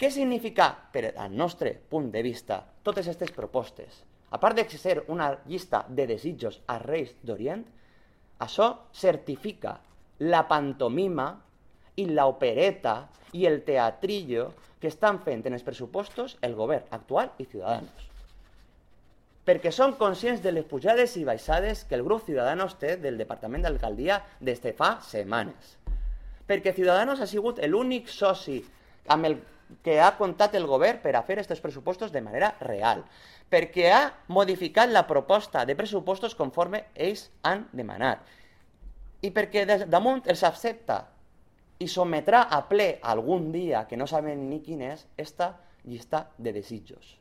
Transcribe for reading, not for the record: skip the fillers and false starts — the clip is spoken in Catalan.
Què significa, per al nostre punt de vista, totes aquestes propostes? A part de ser una llista de desitjos als reis d'Orient, això certifica la pantomima i l'opereta i el teatrillo que estan fent en els pressupostos el govern actual i Ciudadanos. Perquè són conscients de les pujades i baixades que el grup Ciudadanos té del Departament d'Alcaldia des de fa setmanes. Perquè Ciudadanos ha sigut l'únic soci amb el que ha comptat el govern per a fer aquests pressupostos de manera real, perquè ha modificat la proposta de pressupostos conforme ells han demanat, i perquè damunt els accepta i sometrà a ple algun dia, que no saben ni quin és, esta llista de desitjos.